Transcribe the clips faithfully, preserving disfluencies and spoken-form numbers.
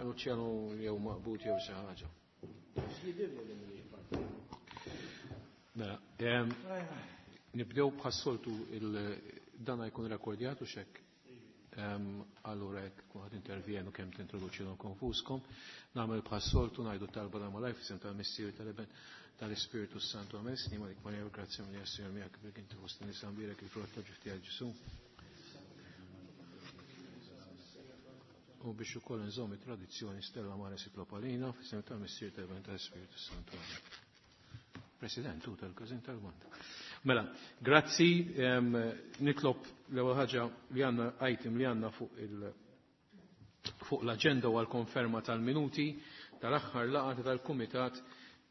Luciano jew maqbut jew xi ħaġa. Mela, nibdew bħas-soltu dana jkun rekordjat u xek. Allura jekk kun ħad intervjenu kemm tintroduċilhom konfuskom, nagħmel bħas-soltu ngħidu talba da malaj f'isem tal-Missier tal-Iben tal-Ispirtu Santu Amen. Snima dik Marija, grazzja mill Signor miegħek bil inti fost nisa mbierek il-frott ta' ġuf tiegħek Ġesu. U biex ukoll nżomm it-tradizzjoni Stella Maris itlob għalina f'isem tal-Missier tal-Iben tal-Ispirtu Santu Amen. President, u tal-Każin tal-Banda. Mela, grazzi, nitlob l-ewwel ħaġa li għandna item li għandna fuq il fuq l-aġenda u għal-konferma tal-minuti tal-aħħar laqgħa tal-Kumitat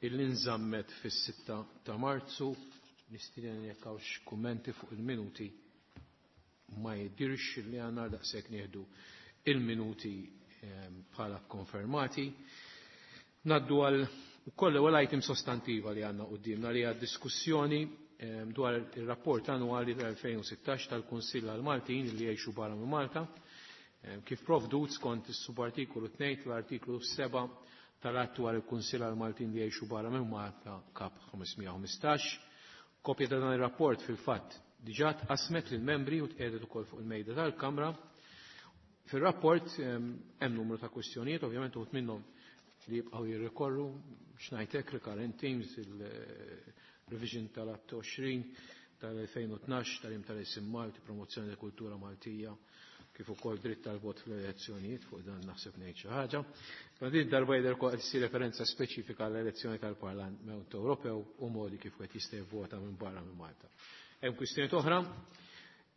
illi nżammet fis-sitta ta' Marzu. Nistieden jekk hawnx kummenti fuq il-minuti, ma jidirx li għandna, daqshekk nieħdu il-minuti bħala konfermati. Naddu għal ukoll ewwel item sostantiva li għandna qudiemna li hija diskussjoni dwar il-rapport annwali tal-elfejn u sittax tal-Kunsill għal-Maltin li jgħixu barra minn Malta, kif provdut skont is-subartikolu tnejn tal-artiklu seba' tal-att dwar il-Kunsill għal-Maltin li jgħixu barra minn Malta Kap ħamesmija u ħmistax. Kopja ta' dan ir-rapport fil-fatt diġà tqasmet lill-membri u tqiegħdet ukoll fuq il-mejda tal-Kamra. Fir-rapport hemm numru ta' kwistjonijiet, ovvjament uħud minnhom li jibqgħu jirrikorru, x'ngħidlek, recurrent themes, il-revision tal-att għoxrin tal-elfejn u tnax tal-im tal-isim Malti, promozzjoni tal kultura Maltija, kif ukoll dritt tal-vot fl-elezzjonijiet, fuq dan naħseb ngħid xi ħaġa. Ma din darba jidher ukoll qed issir referenza speċifika għall-elezzjoni tal-Parlament Ewropew u modi kif wieħed jista' jivvota minn barra minn Malta. Hemm kwistjonijiet oħra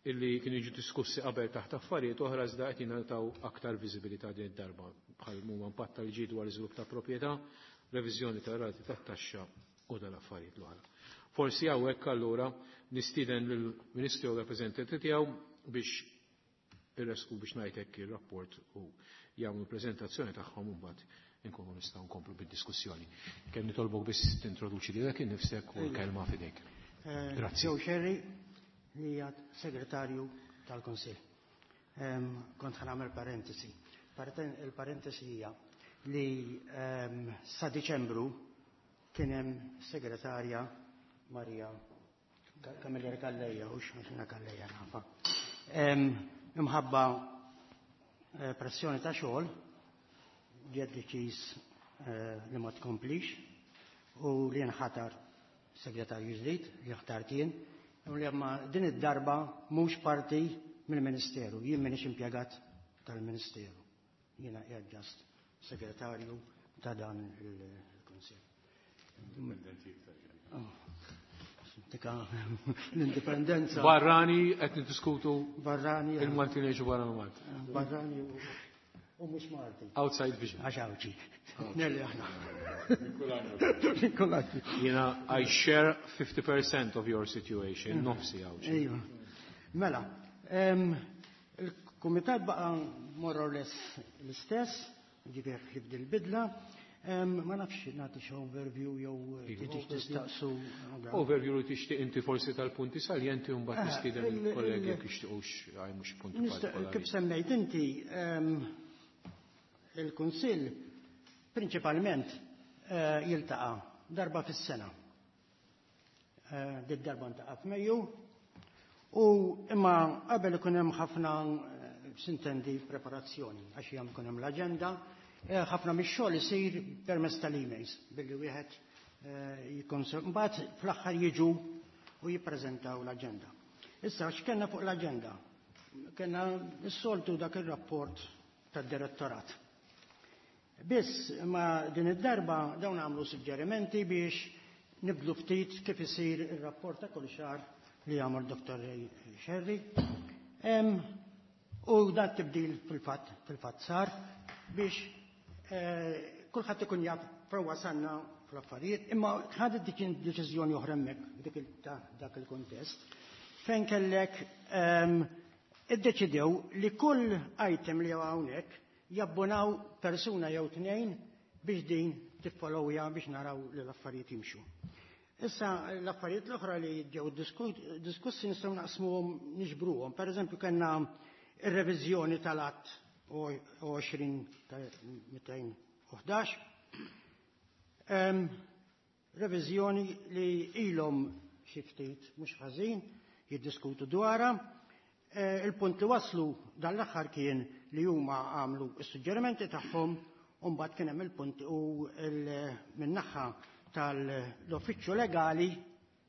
illi kienu jiġu diskussi qabel taħt affarijiet oħra iżda qed jingħataw aktar viżibilità din id-darba, bħal huma impatt tal-liġi dwar iżvilupp ta' proprjetà, reviżjoni tar-rati tat-taxxa u dal-affarijiet l-oħra. Forsi hawnhekk allura nistieden lill-Ministru u rappreżentanti tiegħu biex irresqu biex ngħid hekk ir-rapport u jagħmlu preżentazzjoni tagħhom u mbagħad inkunu nistgħu nkomplu bid-diskussjoni. Kemm nitolbok biss tintroduċi lilek innifsek u l-kelma f'idejk. Eh, Grazzi. Joe Scerri, li hija segretarju tal-Kunsill. Ehm, kont ħa nagħmel parentesi. Il-parentesi hija li, ehm, sa Diċembru kien hemm segretarja Maria Camilleri Calleja, u x'għax Calleja nafa. Ehm, imħabba, eh, pressjoni ta' xogħol ġiet deċiż, eh, li ma tkomplix u li nħatar segretarju ġdid li ħtart jien, u li ma din id-darba mhux parti mill-Ministeru, jien m'iniex impjegat tal-Ministeru. Jiena qiegħed ġast segretarju ta' dan il-Kunsill. Indipendenti iktar. Tika l-indipendenza. Barrani qed niddiskutu Barrani, il-Maltin jgħixu barra minn Malta. Barrani u, u mhux Malti. Outside vision. Għax Għawdxi. Nelli aħna. Nikolaj. Jiena I share fifty percent of your situation, nofsi Għawdxi. Ejwa. Mela, em, il-kumitat baqa' more or less l-istess, ġifier ħlif dil-bidla. Em, ma nafx nagħti xi overview jew Iva. tixtieq tistaqsu. Overview li tixtieq inti forsi tal-punti saljenti u mbagħad Eh, nistieden il-, il-kollegi il- jekk jixtiequx għajmu xi punti Nista-, partikolari. Kif semmejt inti, em, il-Kunsill prinċipalment, eh, jiltaqa' darba fis-sena. Eh, dit darba ntaqa' f'Mejju u imma qabel ikun hemm ħafna, eh, sintendi preparazzjoni għax hemm ikun hemm l-aġenda. Eh, ħafna mix-xogħol isir permezz tal-emails billi wieħed, eh, jikkonsul-, mbagħad fl-aħħar jiġu u jippreżentaw l-aġenda. Issa x'kellna fuq l-aġenda? Kellna s-soltu dak ir-rapport tad-direttorat. Biss ma din id-darba dawn għamlu suġġerimenti biex nibdlu ftit kif isir ir-rapport ta' kull xahar li jagħmel Doktor Ray Scerri. Em, u dan tibdil fil-fatt, fil-fatt sar biex, eh, kulħadd ikun jaf fejn wasalna fl-affarijiet, imma ħadet dik deċiżjoni oħra hemmhekk dik il-, ta' dak il-kuntest fejn kellek, ehm, iddeċidew li kull item li hawnhekk jabbonaw persuna jew tnejn biex din tiffollowja biex naraw li l-affarijiet jimxu. Issa l-affarijiet l-oħra li ġew disku-, diskussi nistgħu naqsmuhom niġbruhom. Per eżempju kellna ir-reviżjoni tal-att għoxrin mitejn u ħdax. Reviżjoni li ilhom xi ftit mhux ħażin jiddiskutu dwarha. Il-punt li waslu dan l-aħħar kien li huma għamlu s-suġġerimenti tagħhom u mbagħad kien hemm il-punt u min-naħa tal-uffiċċju legali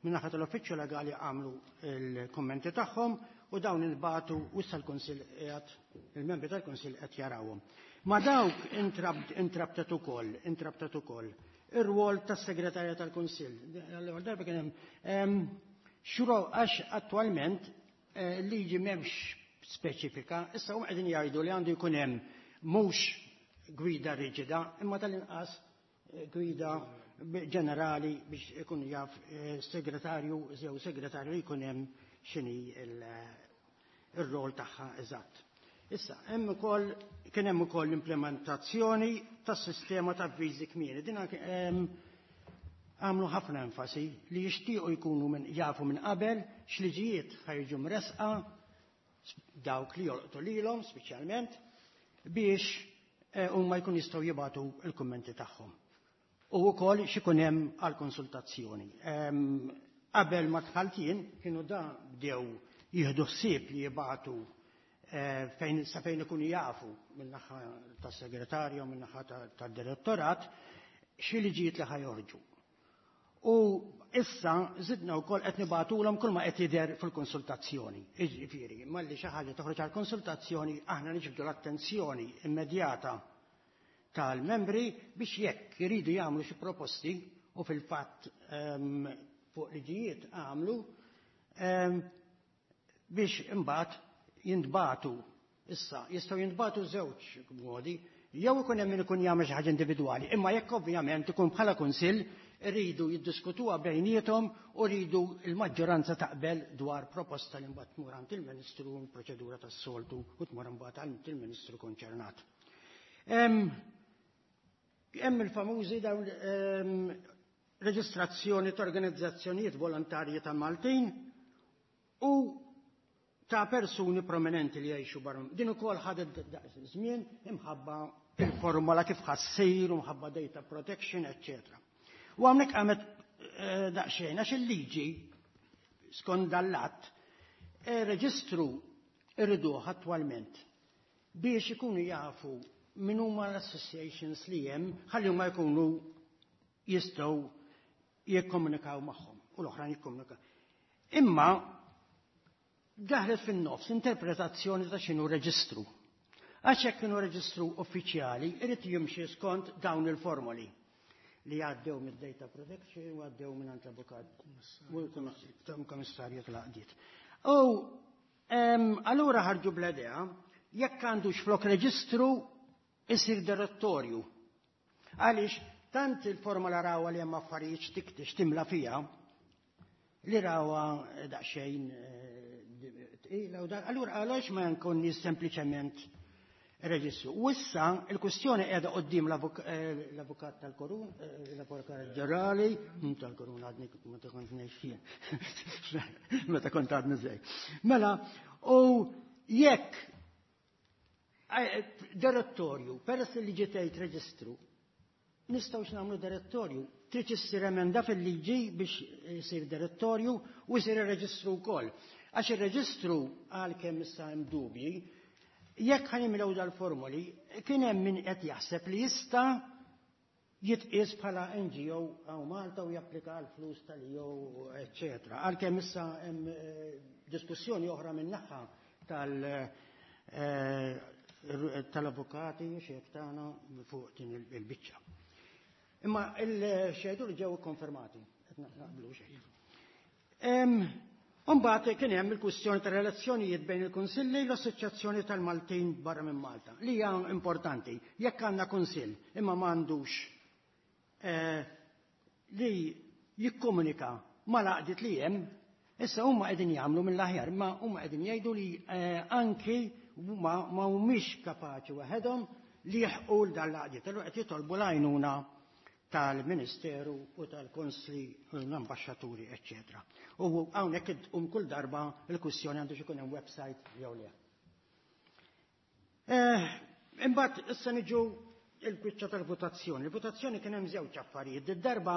min-naħa tal-uffiċċju legali għamlu l-kummenti tagħhom u dawn intbagħtu u issa l-Kunsill qiegħed il-membri tal-Kunsill qed jarawhom. Ma dawk intrabtet ukoll, intrabtet ukoll ir-rwol tas-segretarja tal-Kunsill. L-ewwel darba kien hemm xuro għax attwalment liġi m'hemmx speċifika, issa huma qegħdin jgħidu li għandu jkun hemm mhux gwida riġida, imma tal-inqas gwida ġenerali biex ikun jaf segretarju jew segretarju jkun hemm x'inhi ir-rol tagħha eżatt. Issa, hemm ukoll kien hemm ukoll l-implementazzjoni tas-sistema ta' avviżi kmieni. Din għamlu ħafna enfasi li jixtiequ jkunu minn jafu minn qabel x'liġijiet ħajġu mresqa dawk li jolqtu lilhom speċjalment biex huma jkun jistgħu jibgħatu l-kummenti tagħhom. U wkoll x'ikun hemm għall-konsultazzjoni. Qabel ma dħalt jien kienu da bdew jieħdu ħsieb li jibgħatu fejn sa fejn ikunu jafu min-naħa tas-segretarju, min-naħa tad-direttorat xi liġijiet li ħajorġu. U issa żidna wkoll qed nibgħatulhom kull ma qed jidher fil-konsultazzjoni. Jiġifieri, malli xi ħaġa toħroġ għall-konsultazzjoni aħna niġbdu l-attenzjoni immedjata tal-membri biex jekk iridu jagħmlu xi proposti u fil-fatt fuq liġijiet għamlu biex imbagħad jintbagħtu. Issa jistgħu jintbagħtu żewġ modi, jew ikun hemm min ikun jagħmel xi ħaġa individwali, imma jekk ovvjament ikun bħala kunsill iridu jiddiskutuha bejniethom u rridu l-maġġoranza taqbel dwar proposta li mbagħad tmur għand il-Ministru proċedura tas-soltu u tmur imbagħad għand il-Ministru konċernat. Hemm il-famużi dawn reġistrazzjoni ta' organizzazzjonijiet volontarji ta' Maltin u ta' persuni prominenti li jgħixu barra. Din ukoll ħadet żmien imħabba il-formola kif ħassir, imħabba data protection, eccetera. U hawnhekk qamet daqsxejn għax il-liġi skont dal-att reġistru irriduh attwalment biex ikunu jafu min huma l-associations li hemm ħalli huma jkunu jistgħu jikkomunikaw magħhom u l-oħrajn jikkomunikaw. Imma daħlet fin-nofs interpretazzjoni ta' x'inhu reġistru. Għax hekk kienu reġistru uffiċjali irid jimxi skont dawn il-formoli li għaddew mid-data protection u għaddew minn għand l-avukat u l-komissarju tal-għaqdiet. U allura ħarġu bl-idea jekk għandux flok reġistru isir direttorju. Għaliex tant il-formola rawa li hemm affarijiet tiktix timla fija li rawa daqsxejn tqila u dak. Allura għaliex ma nkun sempliċement reġistru. U issa il-kwestjoni qiegħda quddiem l-avukat tal-Korun, l-avukat ġenerali, tal-Korun għadni meta kont ngħix fih. Meta kont għadni żej. Mela, u jekk direttorju, peress li ġiet reġistru, nistgħu x'nagħmlu direttorju, trid issir emenda fil-liġi biex isir direttorju u jsir ir-reġistru wkoll. Għax ir-reġistru għalkemm issa hemm dubji, jekk ħanimlew dal-formoli, kien hemm min qed jaħseb li jista' jitqies bħala N G O hawn Malta u japplika l-flus tal-E U, eċċetera. Għalkemm issa hemm diskussjoni oħra min-naħa tal-avukati xejk tagħna fuq din il-biċċa. Imma il-xejdu li ġew ikkonfermati, qed naqblu xejn. Imbagħad kien hemm il-kwistjoni ta' relazzjonijiet bejn il-Kunsilli u l-Assoċjazzjoni tal-Maltin barra minn Malta, li hija importanti. Jekk għandna kunsill imma m'għandux li jikkomunika mal-għaqdiet li hemm, issa huma qegħdin jagħmlu mill-aħjar, imma huma qegħdin jgħidu li anki huma ma humiex kapaċi waħedhom li jilħqu l dan l-għaqdiet. Allura qed jitolbu l-għajnuna tal-Ministeru u tal-Konsli u l-Ambaxxaturi, eċċetera. U hawnhekk um kull darba l-kwistjoni għandu ikun hemm website jew le. Imbagħad issa niġu il-kwiċċa tal-votazzjoni. Il-votazzjoni kien hemm żewġ affarijiet. Id-darba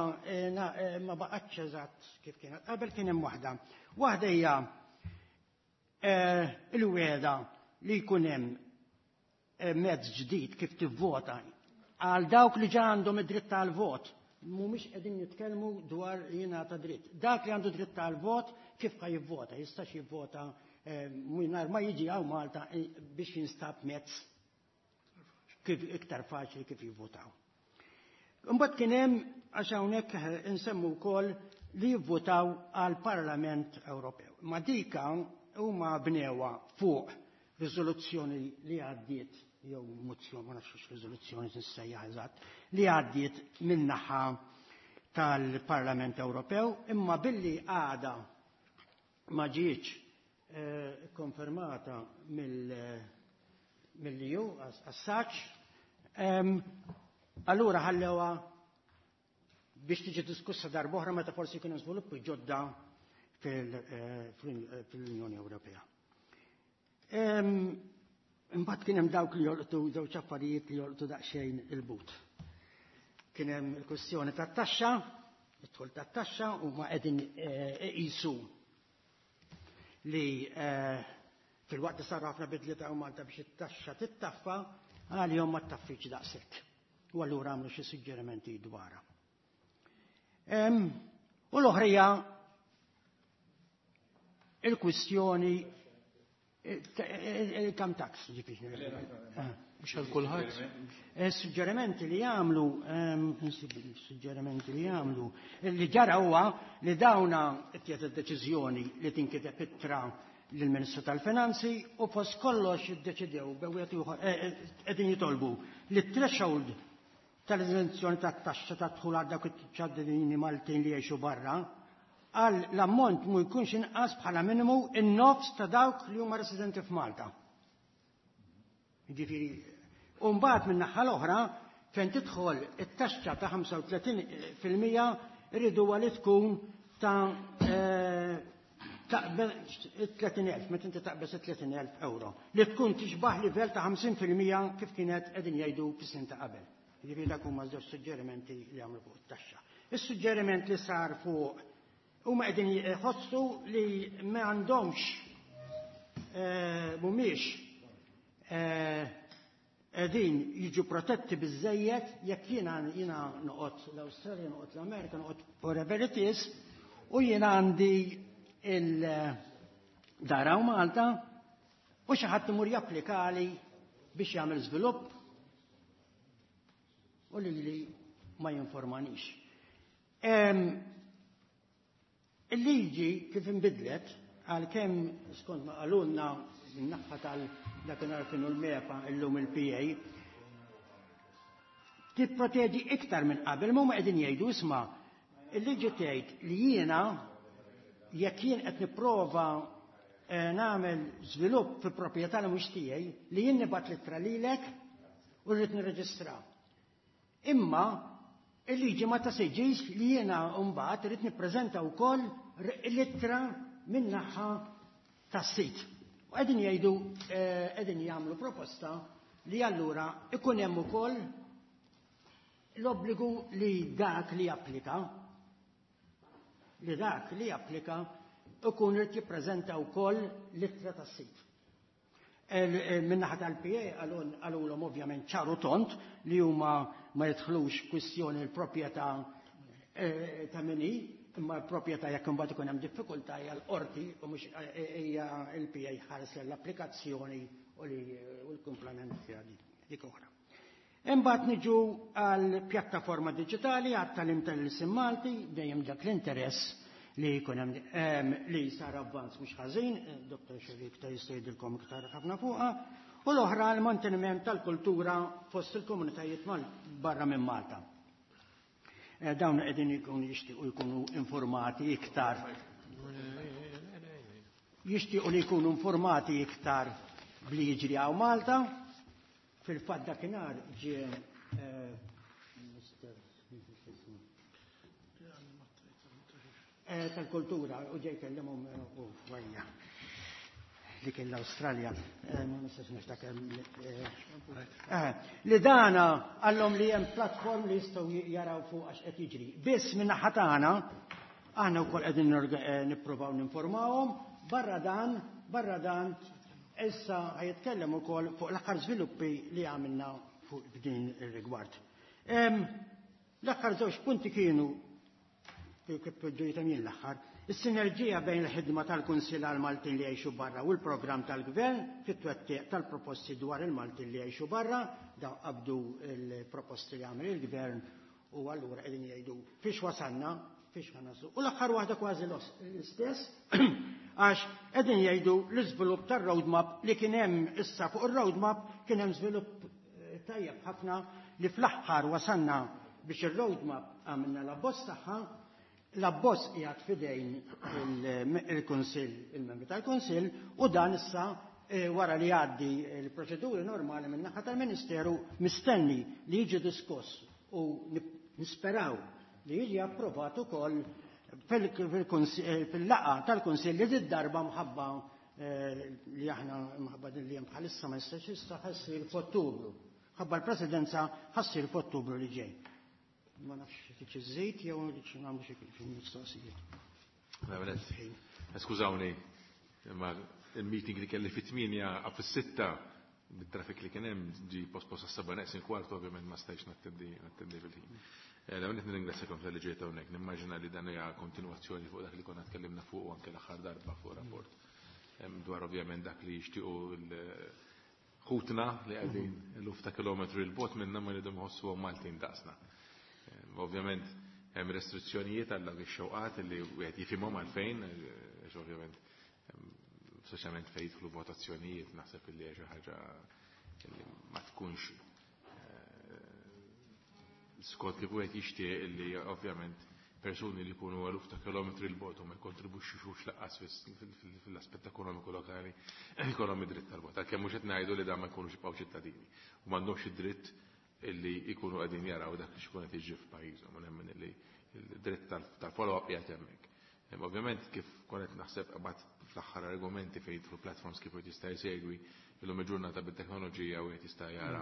ma baqgħetx eżatt kif kienet. Qabel kien hemm waħda. Waħda hija il-weda li jkun hemm mezz ġdid kif tivvota għal dawk li ġa għandhom id-dritt tal-vot. Mhumiex qegħdin nitkellmu dwar li jingħata dritt. Dak li għandu dritt tal-vot kif ħa jivvota, jistax jivvota mingħajr ma jiġi hawn Malta biex jinstab mezz kif iktar faċli kif jivvotaw. Imbagħad kien hemm għax hawnhekk insemmu wkoll li jivvotaw għal Parlament Ewropew. Ma dika huma bnewa fuq riżoluzzjoni li għaddiet jew mozzjoni, ma nafx riżoluzzjoni tissejjaħ eżatt, li għaddiet min-naħa tal-Parlament Ewropew, imma billi għada ma ġietx konfermata mill-E U għas-saċ, allura ħallewa biex tiġi diskussa darb'oħra meta forsi jkun hemm żviluppi ġodda fil-Unjoni Ewropea. Imbagħad kien hemm dawk li jolqtu żewġ affarijiet li jolqtu daqsxejn il-but. Kien hemm il-kwestjoni tat-taxxa, id-dħul tat-taxxa u ma qegħdin iqisu li fil-waqt li saru ħafna bidliet hawn Malta biex it-taxxa tittaffa, għalihom ma ttaffiċ daqshekk. U allura għamlu xi suġġerimenti dwarha. U l-oħrija il-kwistjoni il-income tax, ġifieri. Mhux għal kulħadd. Suġġerimenti li jagħmlu, suġġerimenti li jagħmlu, li ġara huwa li dawna ttieħdet id-deċiżjoni li tinkiteb ittra lill-Ministru tal-Finanzi u fost kollox iddeċidew bewet qegħdin jitolbu li t-threshold tal-eżenzjoni tat-taxxa ta' dħul għal dawk iċ-ċittadini Maltin li jgħixu barra għal l-ammont mu jkunx inqas bħala minimu in-nofs ta' dawk li huma residenti f'Malta. Ġifieri, u mbagħad minn naħa l-oħra fejn tidħol it-taxxa ta' ħamsa u tletin fil-mija rridu li tkun ta' tletin elf, meta inti taqbeż tletin elf euro, li tkun tixbaħ livell ta' ħamsin fil-mija kif kienet qegħdin jgħidu fis-snin ta' qabel. Ġifieri dak huma żewġ suġġerimenti li għamlu fuq it-taxxa. Is-suġġeriment li sar fuq huma qegħdin jħossu li ma għandhomx, mhumiex qegħdin jiġu protetti biżejjed jekk jiena jiena noqgħod l-Awstralja, noqgħod l-Amerika, noqgħod wherever it is, u jiena għandi il-dara u Malta u xi ħadd imur japplikali biex jagħmel żvilupp u li li ma jinformanix. Il-liġi kif inbidlet, għalkemm skont ma qalulna min-naħa tal dakinhar kienu l-MEPA, illum il-P A, tipproteġi iktar minn qabel. Ma qegħdin jgħidu, isma', il-liġi tgħid li jiena jekk jien qed nipprova nagħmel żvilupp fi proprjetà li mhux tiegħi, li jien nibgħat littra lilek u rrid nirreġistra. Imma il-liġi ma tesiġix li jiena mbagħad irid nippreżenta wkoll l-ittra min-naħa tas-sit. U qegħdin jgħidu, qegħdin jagħmlu proposta li allura ikun hemm ukoll l-obbligu li dak li japplika li dak li japplika ikun irid jippreżenta wkoll l-ittra tas-sit. Min-naħa tal-P A qalulhom ovvjament ċaru tond li huma ma jidħlux kwistjoni l-proprjetà ta' min hi, imma l-proprjetà jekk imbagħad ikun hemm diffikultà hija l-qorti u mhux hija l-P A ħares l-applikazzjoni u li u l-kumplament dik oħra. Imbagħad niġu għal pjattaforma diġitali għat-tagħlim tal-ilsien Malti, dejjem dak l-interess li jkun hemm li sar avvanz mhux ħażin, Dottor Xerik ta' jista' jgħidilkom iktar ħafna fuqha, u l-oħra l-manteniment tal-kultura fost il-komunitajiet barra minn Malta. Dawn qegħdin jkunu jixtiequ jkunu informati iktar. Jixtiequ li jkunu informati iktar bli jiġri hawn Malta. Fil-fatt dakinhar ġie Mister tal-kultura u ġej kellimhom u għajja. li kien l-Awstralja, ma nistax niftakar li dana għallhom li hemm platform li jistgħu jaraw fuq għax qed jiġri. Biss minn naħa tagħna aħna wkoll qegħdin nippruvaw ninformawhom, barra dan, barra dan issa ħajitkellem ukoll fuq l-aħħar żviluppi li għamilna fuq din ir-rigward. L-aħħar żewġ punti kienu kif ġejt jien l-aħħar, is-sinerġija bejn il-ħidma tal-Kunsill għal-Maltin li jgħixu barra u l-programm tal-Gvern fit-twettiq tal-proposti dwar il-Maltin li jgħixu barra, daw qabdu il-proposti li għamel il-Gvern u allura qegħdin jgħidu fiex wasalna, fiex ħanasu. U l-aħħar waħda kważi l-istess, għax qegħdin jgħidu l-iżvilupp tar-roadmap li kien hemm issa fuq ir-roadmap kien hemm żvilupp tajjeb ħafna li fl-aħħar wasalna biex ir-roadmap għamilna l-abbozz tagħha. L-abbozz qiegħed f'idejn il-Kunsill, il-membri tal-Kunsill, u dan issa wara li jgħaddi l-proċeduri normali minn naħa tal-Ministeru mistenni li jiġi diskuss u nisperaw li jiġi approvat ukoll fil-laqgħa tal-Kunsill li d-darba mħabba li aħna mħabba din li hemm bħalissa ma jistax issa ħassir f'Ottubru. Ħabba l-Presidenza ħassir f'Ottubru li ġej. Ma nafx tiċ iżejt jew nagħmlu xi kif mistoqsijiet. Skużawni, imma il-meeting li kelli fit-tmienja fis-sitta bit-traffic li kien hemm ġie pospost għas-seba' neqsin kwartu, ovvjament ma stajtx nattendi nattendi fil-ħin. L-ewwel qed nirringrazzjakom tal-li ġejt hawnhekk. Nimmaġina li dan hija kontinwazzjoni fuq dak li konna tkellimna fuq anke l-aħħar darba fuq rapport. Dwar ovvjament dak li jixtiequ ħutna li qegħdin eluf ta' kilometri 'l bogħod minna ma jridu jħossuhom Maltin daqsna. Ovvjament hemm restrizzjonijiet għal dak ix-xewqat li wieħed jifhimhom għalfejn, għax ovvjament soċjalment fejn jidħlu votazzjonijiet naħseb li hija xi ħaġa li ma tkunx skont kif wieħed jixtieq li ovvjament persuni li jkunu eluf ta' kilometri 'l bogħod u ma jkontribwixxux lanqas fil-aspett ekonomiku lokali jkollhom id-dritt tal-vot. Għalkemm mhux qed ngħidu li dan ma jkunux jibqgħu ċittadini u m'għandhomx id-dritt illi jkunu qegħdin jaraw dak li xikun qed jiġri f'pajjiżhom, u nemmen illi l-dritt tal-follow-up qiegħed hemmhekk. Ovvjament kif konet naħseb qabad fl-aħħar argumenti fejn jidħlu platforms kif wieħed jista' jsegwi illum il-ġurnata bit-teknoloġija wieħed jista' jara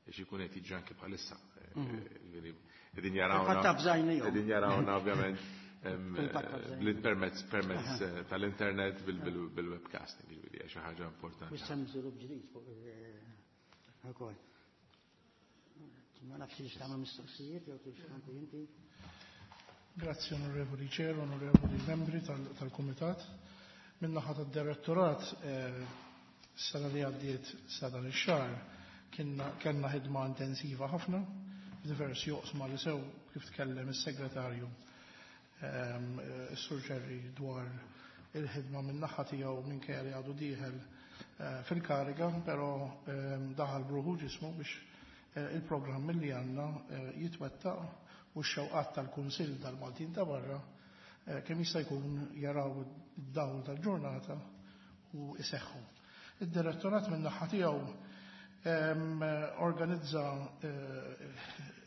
x'ikun qed jiġri anke bħalissa. Qegħdin jarawna. Qegħdin jarawna ovvjament permezz permezz tal-internet bil-webcasting, ġifieri hija xi ħaġa importanti. Mhux hemm żvilupp ġdid fuq ukoll. Ma nafx li x'tagħmel mistoqsijiet jew kif x'tagħmel inti. Grazzi onorevoli Chair, onorevoli membri tal-Kumitat. Min-naħa tad-Direttorat sena li għaddiet sa dan ix-xahar kellna ħidma intensiva ħafna f'diversi oqsma li sew kif tkellem is-segretarju is-Sur Ġerri dwar il-ħidma min-naħa tiegħu minkejja li għadu dieħel fil-kariga, però daħal bruħu ġismu biex il-programm li għandna jitwettaq u x-xewqat tal-Kunsill tal-Maltin ta' barra kemm jista' jkun jaraw id-dawl tal-ġurnata u iseħħu. Id-direttorat min-naħa tiegħu organizza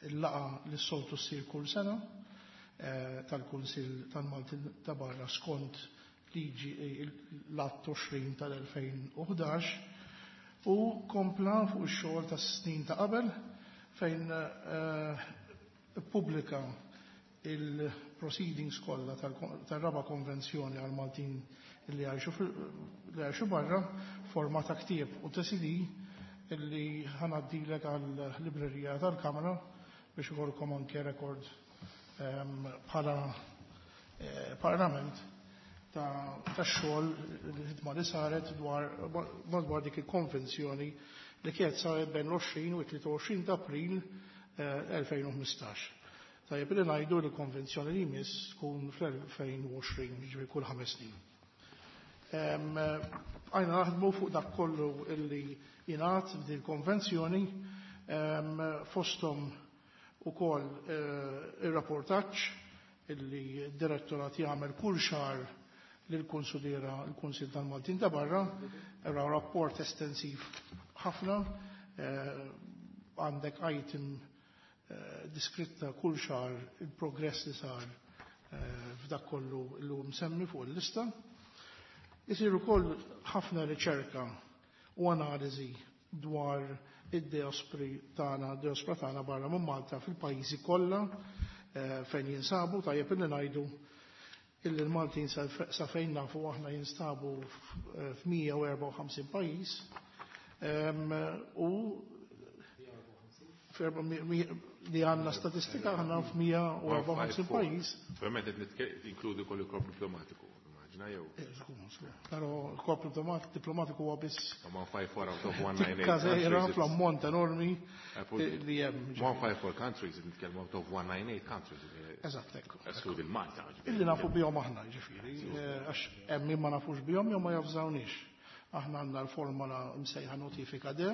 il-laqgħa li s-soltu ssir kull sena tal-Kunsill tal-Maltin ta' barra skont liġi l-att għoxrin tal-elfejn u ħdax u kompla fuq ix-xogħol tas-snin ta' qabel fejn ippubblika il-proceedings kollha tar-raba' konvenzjoni għal Maltin li jgħixu barra forma ta' ktieb u ta' C D illi ħanaddilek għal-librerija tal-Kamra biex ikolkom anke rekord bħala parlament ta' xogħol il-ħidma li saret dwar madwar dik il-konvenzjoni li kienet saret bejn l-għoxrin u t-tlieta u għoxrin ta' April elfejn u ħmistax. Tajjeb li ngħidu li l-konvenzjoni li jmiss tkun fl-elfejn u għoxrin, jiġifieri kull ħames snin. Għajna naħdmu fuq dak kollu illi jingħad f'din il-konvenzjoni, fosthom ukoll ir-rapportaġġ illi d-direttorat jagħmel kull xahar lill-Kunsuliera l-Kunsill tal-Maltin ta' barra, era rapport estensiv ħafna, għandek item diskritta kull xahar il-progress li sar f'dak kollu li hu msemmi fuq il-lista. Isir ukoll ħafna riċerka u analiżi dwar id-diaspori tagħna, diaspora tagħna barra minn Malta fil-pajjiżi kollha eh, fejn jinsabu. Tajjeb illi ngħidu illi l-Maltin sa fejn nafu aħna jinstabu f'mija u erbgħa u ħamsin pajjiż u li għandna statistika aħna f'mija u erbgħa u ħamsin pajjiż. Ovvjament qed inkludi kollu korp diplomatiku, immaġina jew. Però l-korp diplomatiku huwa biss one five four out of one nine eight. Każejra fl-ammont enormi li hemm. one five four countries, nitkellmu out of one nine eight countries. Eżatt, ekku. Eskludi l-Malta, ġifieri. Illi nafu bihom aħna, ġifieri, għax hemm min ma nafux bihom jew ma jafżawniex. Aħna għandna l-formola msejħa notifika de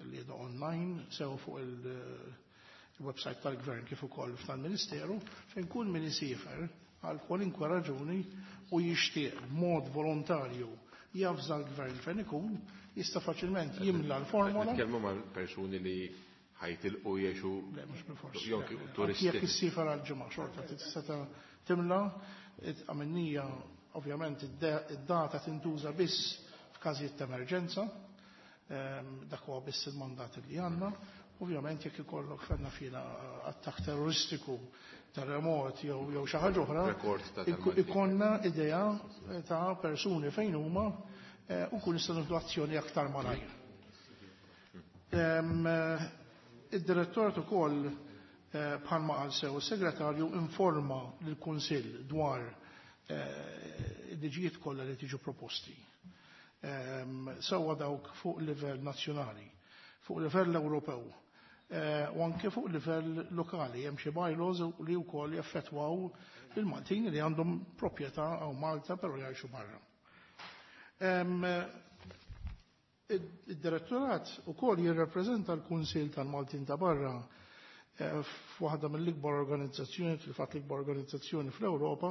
li qiegħda online sew fuq il-website tal-Gvern kif ukoll tal-Ministeru, fejn kull min isiefer għal kwalinkwa raġuni u jixtieq b'mod volontarju jafża l-Gvern fejn ikun, jista' faċilment jimla l-formola. Nitkellmu ma' persuni li ħajtilqu jgħixu Le, mhux bil-fors. jew turisti. Jekk issiefer għal ġimgħa xorta tista' timla, għamilnija ovvjament id-data tintuża biss f'każijiet ta' emerġenza, dak huwa biss il-mandat li għandna. Ovvjament jekk ikollok fenna fina attakk terroristiku, terremot jew jew xi ħaġa oħra, Rekord ta' tal-Malti. ikollna idea ta' persuni fejn huma u kun nistgħu nieħdu azzjoni aktar malajr. Id-direttorat ukoll bħalma qal sew is-segretarju informa lill-Kunsill dwar il-liġijiet kollha li tiġu proposti. Sewwa dawk fuq livell nazzjonali, fuq livell Ewropew u anke fuq livell lokali. Hemm xi bylaws li wkoll jaffettwaw il-Maltin li għandhom proprjetà hawn Malta però jgħixu barra. Id-direttorat ukoll jirrappreżenta l-Kunsill tal-Maltin ta' barra f'waħda mill-ikbar organizzazzjoni, fil-fatt l-ikbar organizzazzjoni fl-Ewropa,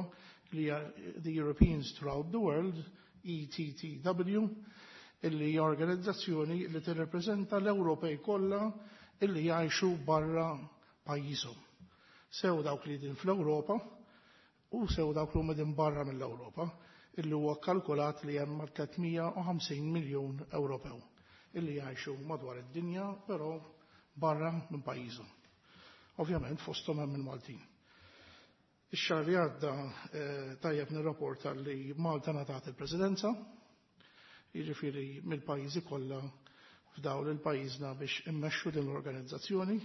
li hija the Europeans Throughout the World, E T T W, illi hija organizzazzjoni li tirrappreżenta l-Ewropej kollha illi jgħixu barra pajjiżhom. Sew dawk li din fl-Ewropa u sew dawk li huma din barra mill-Ewropa, illi huwa kalkulat li hemm tliet mija u ħamsin miljun Ewropew illi jgħixu madwar id-dinja, però barra minn pajjiżhom. Ovvjament fosthom hemm il-Maltin. Ix-xahar li għadda tajjeb nirrapporta li Malta ngħatat il-Presidenza, jiġifieri mill-pajjiżi kollha f'dawn il-pajjiżna biex immexxu din l-organizzazzjoni.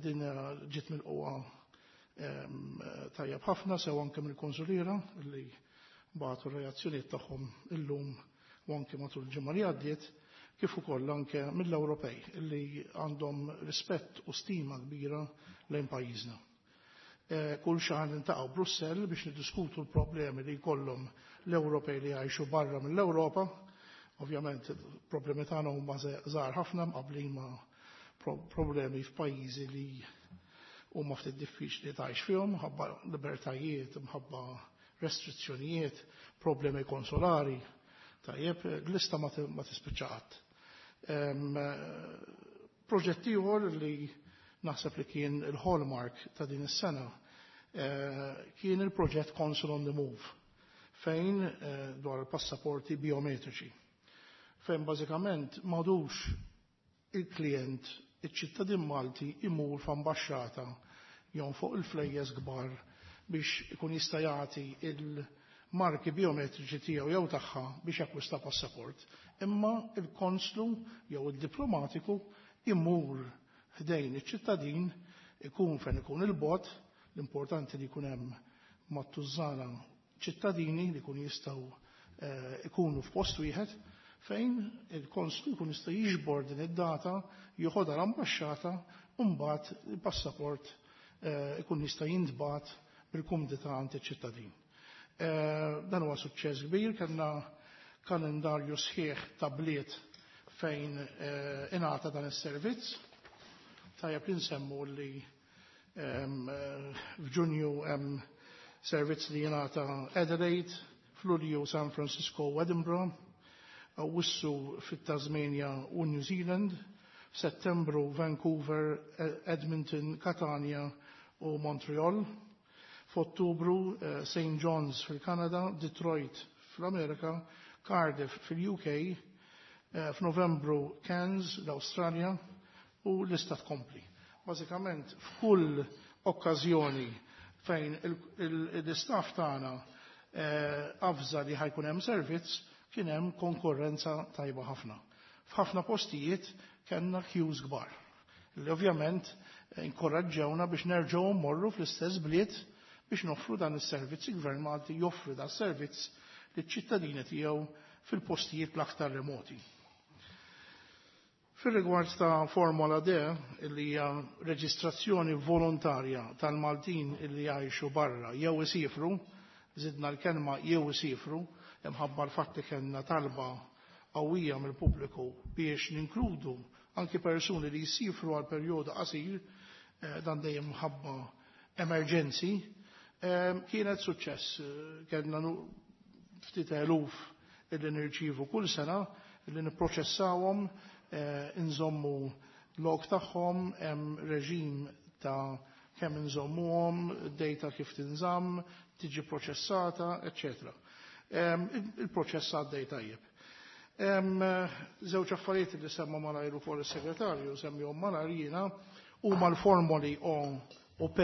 Din ġiet milquha tajjeb ħafna sew anke mill-konsuliera li bagħtu r-reazzjonijiet tagħhom illum u anke matul il-ġimgħa li għaddiet, kif ukoll anke mill-Ewropej li għandhom rispett u stima kbira lejn pajjiżna. Kull xahar niltaqgħu Brussell biex niddiskutu l-problemi li jkollhom l-Ewropej li jgħixu barra mill-Ewropa. Ovvjament problemi tagħna huma żgħar ħafna mqablin ma' problemi f'pajjiżi li huma ftit diffiċli tgħix fihom, mħabba libertajiet, mħabba restrizzjonijiet, problemi konsolari. Tajjeb, l-lista ma tispiċċa qatt. Proġett ieħor li naħseb li kien il-hallmark ta' din is-sena kien il-proġett Consul on the Move, fejn dwar il-passaporti biometriċi, fejn bażikament m'għadux il-klient, iċ-ċittadin Malti imur f'ambaxxata jew fuq il-flejjes kbar biex ikun jista' jagħti il-marki biometriċi tiegħu jew tagħha biex jakkwista passaport, imma il-konslu jew id-diplomatiku imur ħdejn iċ-ċittadin, ikun fejn ikun il-bot, l-importanti li jkun hemm mat-tużżana ċittadini li jkun jistgħu ikunu f'post wieħed fejn il-konslu jkun jista' jiġbor din id-data, joħodha l-ambaxxata u mbagħad il-passaport ikun jista' jintbagħat bil-kumdità għand iċ-ċittadin. Dan huwa suċċess kbir, kellna kalendarju sħiħ ta' bliet fejn ingħata dan is-servizz. Tajjeb li nsemmu li f'Ġunju hemm servizz li jingħata Adelaide, f'Lulju San Francisco u Edinburgh, Awwissu fit-Tasmania u New Zealand, f'Settembru Vancouver, Edmonton, Catania u Montreal, f'Ottubru Saint John's fil-Kanada, Detroit fl-Amerika, Cardiff fil-U K, eh, f'Novembru Cairns l-Awstralja u l-lista tkompli. Bażikament f'kull okkażjoni fejn l-istaff tagħna eh, avża li ħa jkun hemm servizz, kien hemm konkurrenza tajba ħafna. F'ħafna postijiet kellna queues kbar. Li ovvjament inkoraġġewna biex nerġgħu mmorru fl-istess bliet biex noffru dan is-servizz. Il-Gvern Malti joffri dan is-servizz liċ-ċittadini tiegħu fil-postijiet l-aktar remoti. Fil-rigward ta' Formola D, li hija reġistrazzjoni volontarja tal-Maltin illi jgħixu barra jew isifru, żidna l-kelma "jew isifru", imħabba l-fatt li kellna talba qawwija mill-pubbliku biex ninkludu anki persuni li jisifru għal perjodu qasir, eh, dan dejjem mħabba emerġenzi, eh, kienet suċċess. Kellna ftit eluf illi nirċivu kull sena, illi nipproċessawhom, eh, inżommu log tagħhom, hemm reġim ta' kemm inżommuhom, data kif tinżamm, tiġi proċessata, eċċetera. Il-proċess għaddej tajjeb. Żewġ affarijiet li semma malajr ukoll is-segretarju, semmihom malajr jiena, huma l-formoli O u P.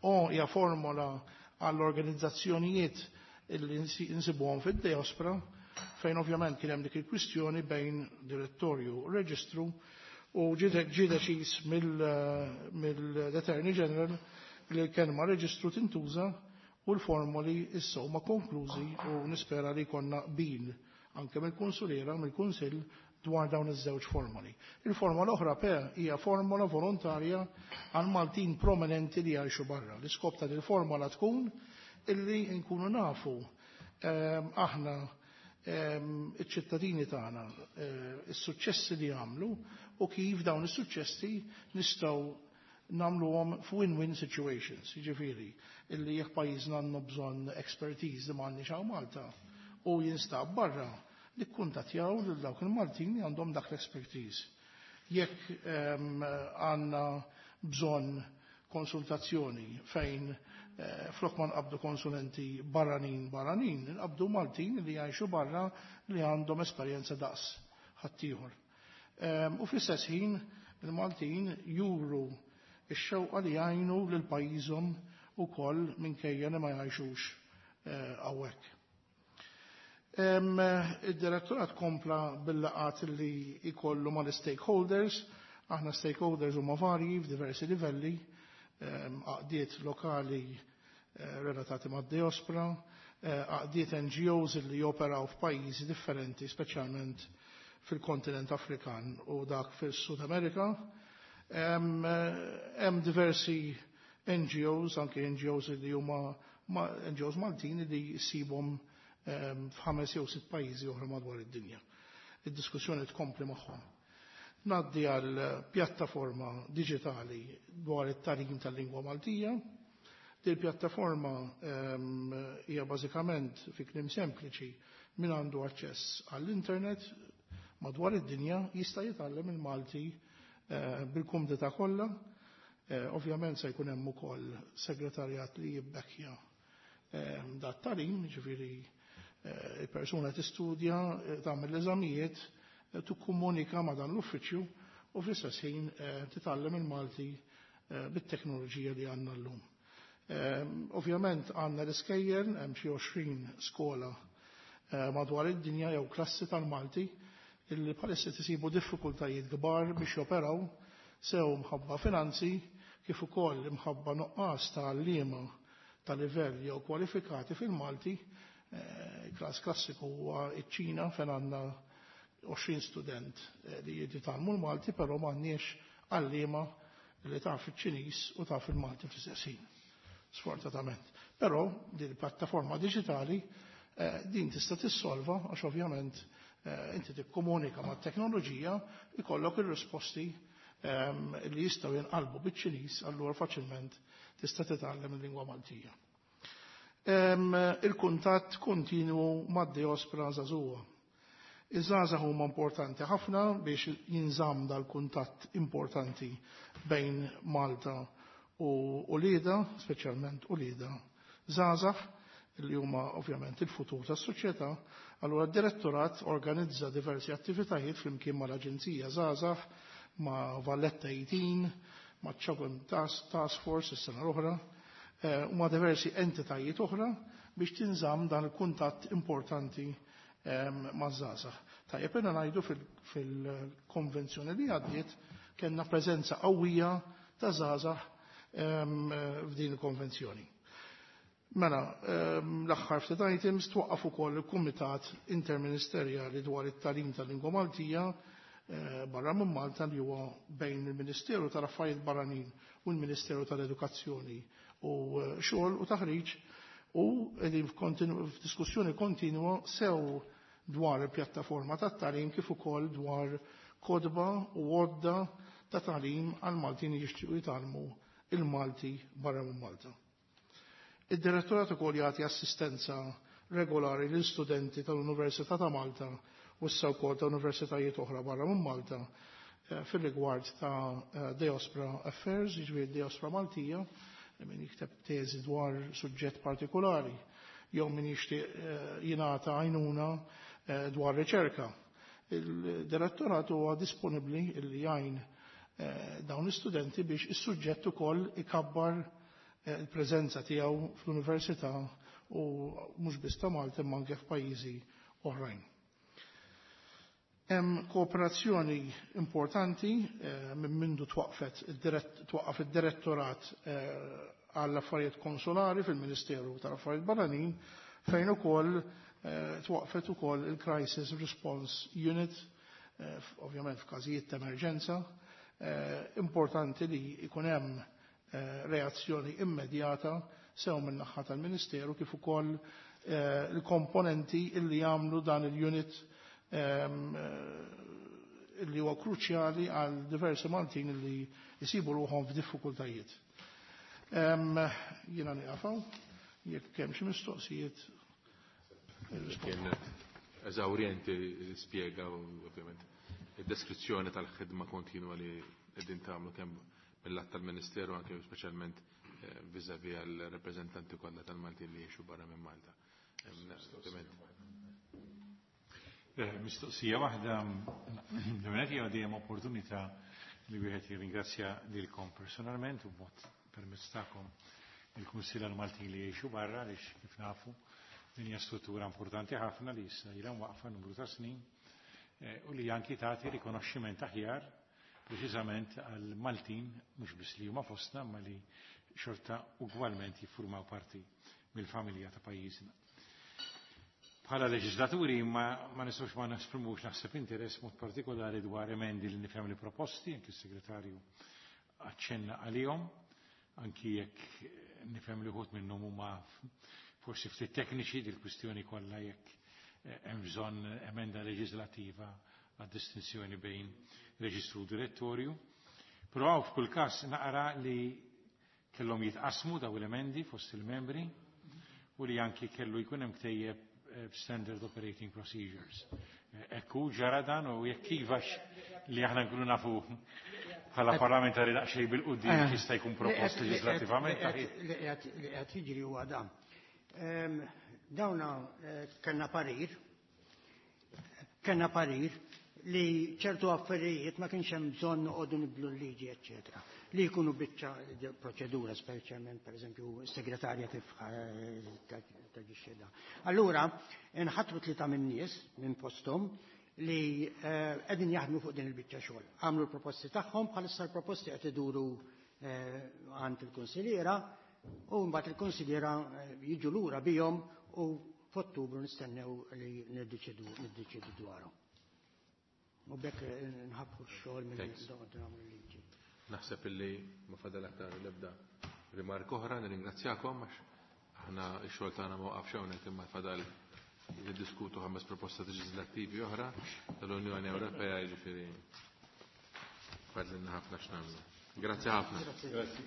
O hija formola għall-organizzazzjonijiet illi nsibuhom fid-diaspora, fejn ovvjament kien hemm dik il-kwistjoni bejn direttorju u reġistru u ġie deċiż mill-Attorney General li l-kelma "reġistru" tintuża u l-formoli issa huma konklużi u nispera li jkollna qbil anke mill-konsuliera, mill-Kunsill dwar dawn iż-żewġ formoli. Il-formola oħra P hija formola volontarja għal Maltin prominenti li jgħixu barra. L-iskop ta' il-formola tkun illi nkunu nafu ehm, aħna ehm, iċ-ċittadini tagħna eh, is-suċċessi li għamlu u kif dawn is-suċċessi nistgħu nagħmluhom f'win-win situations, jiġifieri illi jekk pajjiżna għandna bżonn expertise li m'għandniex hawn Malta u jinstab barra, nikkuntattjaw lil dawk il-Maltin li għandhom dak l-expertise. Jekk ehm, għandna bżonn konsultazzjoni fejn eh, flok ma nqabdu konsulenti barranin barranin, nqabdu Maltin li jgħixu barra li għandhom esperjenza daqs ħaddieħor. Ehm, u fl-istess ħin il-Maltin juru ix-xewqa li jgħinu lil pajjiżhom ukoll minkejja li ma jgħixux eh, hawnhekk. Id-direttorat kompla bil-laqgħat li jkollu mal-stakeholders, aħna stakeholders huma varji f'diversi livelli, għaqdiet lokali eh, relatati mad-diaspora, eh, għaqdiet N G Os li joperaw f'pajjiżi differenti, speċjalment fil-kontinent Afrikan u dak fil-Sud Amerika. Hemm diversi N G Os, anke N G Os li huma N G Os Maltin li jsibhom f'ħames jew sitt pajjiżi oħra madwar id-dinja. Id-diskussjoni tkompli magħhom. Ngħaddi għal pjattaforma diġitali dwar it-tagħlim tal-lingwa Maltija. Din pjattaforma hija bażikament, fi kliem sempliċi, min għandu aċċess għall-internet madwar id-dinja jista' jitgħallem il-Malti eh, bil-kumdità kollha. Eh, ovvjament se jkun hemm ukoll segretarjat li jibbekkja dat tagħlim, ġifieri eh, il-persuna tistudja, tagħmel l-eżamijiet, tikkomunika ma' dan l-uffiċċju u fl-istess ħin titgħallem il-Malti bit-teknoloġija li għandna llum. Ovvjament għandna l-iskejjel, hemm xi għoxrin skola madwar id-dinja jew klassi tal-Malti illi bħalissa tisibu diffikultajiet kbar biex joperaw, sew mħabba finanzi kif ukoll imħabba nuqqas ta' għalliema ta' livell jew kwalifikati fil-Malti. Każ klassiku huwa iċ-Ċina, fejn għandna għoxrin student li jitgħallmu l-Malti, però m'għandniex għalliema li taf iċ-Ċiniż u taf il-Malti fl-istess ħin. Sfortunatament. Però din il-pjattaforma diġitali din tista' tissolva, għax ovvjament inti tikkomunika mat-teknoloġija, ikollok ir-risposti li jistgħu jinqalbu biċ-Ċiniż, allura faċilment tista' titgħallem il-lingwa Maltija. Il-kuntatt kontinwu mad-diaspora żagħżugħa. Iż-żgħażagħ huma importanti ħafna biex jinżamm dal-kuntatt importanti bejn Malta u uliedha, speċjalment uliedha żgħażagħ. li huma ovvjament il-futur tas-soċjetà. Allura d-direttorat organizza diversi attivitajiet flimkien mal-Aġenzija Żgħażagħ, ma' Valletta eighteen, ma' CHOGM Task, Task Force is-sena l-oħra, eh, u ma' diversi entitajiet oħra biex tinżamm dan il-kuntatt importanti ehm, maż-żgħażagħ. Tajjeb jiena ngħidu fil-konvenzjoni li għaddiet kellna preżenza qawwija ta' żgħażagħ ehm, f'din il-konvenzjoni. Mela, ehm, l-aħħar ftit items twaqqaf ukoll il-Kumitat Interministerjali dwar it-tagħlim tal-Lingwa Maltija eh, barra minn Malta li huwa bejn il-Ministeru tal-Affarijiet Barranin u l-Ministeru tal-Edukazzjoni u eh, xogħol u taħriġ u qegħdin f'diskussjoni kontinwa sew dwar il-pjattaforma tat-tagħlim kif ukoll dwar kotba u għodda ta' tagħlim għal Maltin li jixtiequ jitgħallmu il-Malti barra minn Malta. Id-direttorat ukoll jagħti assistenza regolari lil studenti tal-Università ta' Malta u issa wkoll ta' universitajiet oħra barra minn Malta eh, fil-rigward ta' eh, Diaspora Affairs, jiġifieri Diaspora Maltija, min jikteb teżi dwar suġġett partikolari, jew min jixtieq eh, jingħata għajnuna dwar riċerka. Il-direttorat huwa disponibbli li jgħin dawn l-istudenti biex is-suġġett ukoll ikabbar il-preżenza tiegħu fl-università u mhux biss ta' Malta imma anke f'pajjiżi oħrajn. Hemm kooperazzjoni importanti eh, minn mindu twaqfet twaqqaf id-direttorat eh, għall-affarijiet konsolari fil-Ministeru tal-Affarijiet Barranin fejn ukoll eh, twaqfet ukoll il-Crisis Response Unit, ovvjament f'każijiet ta' emerġenza, importanti li jkun hemm reazzjoni immedjata sew minn naħa tal-Ministeru kif ukoll il-komponenti illi jagħmlu dan il-unit illi huwa kruċjali għal diversi Maltin illi jisibu ruħhom f'diffikultajiet. Jiena nieqaf hawn, jekk hemm xi mistoqsijiet. Kien eżawrjenti spjega ovvjament id-deskrizzjoni tal-ħidma kontinwa li qegħdin tagħmlu kemm mill-att tal-Ministeru anke speċjalment vis-à-vis għal-rappreżentanti kollha tal-Maltin li jgħixu barra minn Malta. Mistoqsija waħda, l-għonet hija dejjem opportunità li wieħed jirringrazzja lilkom personalment u b'mod permezz tagħkom il-Kunsill għall-Maltin li jgħixu barra għaliex kif nafu din hija struttura importanti ħafna li issa ilha waqfa numru ta' snin u li anki tagħti rikonoxximent aħjar preċiżament għal Maltin mhux biss li huma fostna ma li xorta ugwalment jiffurmaw parti mill-familja ta' pajjiżna. Bħala leġislaturi ma, ma nistgħux ma nesprimux naħseb interess mod partikolari dwar emendi li nifhem li proposti, anki s-segretarju aċċenna għalihom, anki jekk nifhem li wħud minnhom huma forsi ftit tekniċi dil-kwistjoni kollha jekk hemm bżonn emenda leġislativa għad-distinzjoni bejn reġistru u direttorju. Però hawn f'kull każ naqra li kellhom jitqasmu daw l-emendi fost il-membri u li anki kellu jkun hemm ktejjeb standard operating procedures. Ekku ġara dan u jekk ivax li aħna nkunu nafu bħala parlamentari daqsxejn bil-quddiem jista' jkun propost leġislattivament. Li qed jiġri huwa dan. Dawna kellna parir, kellna parir li ċertu affarijiet ma kienx hemm bżonn noqogħdu nibdlu l-liġi, eċċetera. Li jkunu biċċa proċedura, speċjalment pereżempju s-segretarja kif taġixxi da. Allura, nħatru tlieta minn nies minn posthom li qegħdin jaħdmu fuq din il-biċċa xogħol. Għamlu l-proposti tagħhom, bħalissa l-proposti qed iduru għand il-konsiljiera u mbagħad il-konsiljiera jiġu lura bihom u f'Ottubru nistennew li niddeċidu niddeċidu dwarhom. U bekk nħabbu x-xogħol minn nagħmlu liġi. Naħseb illi ma fadal aktar l-ebda rimark oħra, nirringrazzjakom għax aħna x-xogħol tagħna ma waqafx hawnhekk imma fadal niddiskutu ħames proposta leġislattivi oħra tal-Unjoni Ewropea, jiġifieri fadlilna ħafna x'nagħmlu. Grazzi ħafna. Grazzi.